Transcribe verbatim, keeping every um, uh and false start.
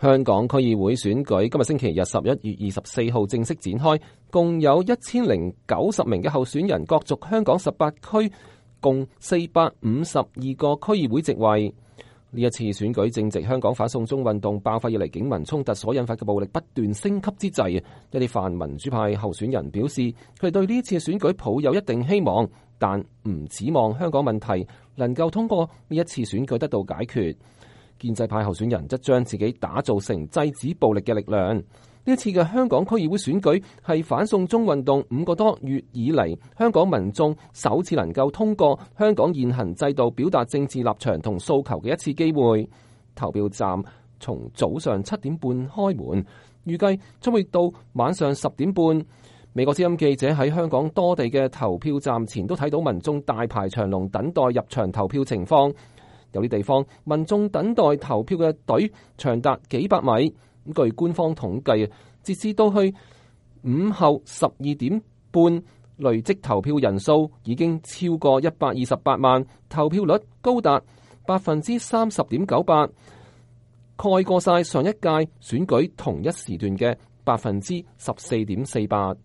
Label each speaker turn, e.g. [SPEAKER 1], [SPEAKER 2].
[SPEAKER 1] 香港區議會選舉今日星期日十一月二十四號正式展開，共有一千零九十名嘅候選人角逐香港十八區共四百五十二個區議會席位。呢一次選舉正值香港反送中運動爆發以嚟警民衝突所引發嘅暴力不斷升級之際，一啲泛民主派候選人表示，佢哋對呢一次選舉抱有一定希望，但唔指望香港問題能夠通過呢一次選舉得到解決。建制派候選人則將自己打造成制止暴力嘅力量。呢一次嘅香港區議會選舉係反送中運動五個多月以嚟，香港民眾首次能夠通過香港現行制度表達政治立場同訴求嘅一次機會。投票站從早上七點半開門，預計將會到晚上十點半。美國之音記者喺香港多地嘅投票站前都睇到民眾大排長龍等待入場投票情況。有啲地方民眾等待投票嘅隊長達幾百米。據官方統計，截至到去午後十二點半，累積投票人數已經超過一百二十八萬，投票率高達百分之三十點九八，蓋過晒上一屆選舉同一時段嘅百分之十四點四八。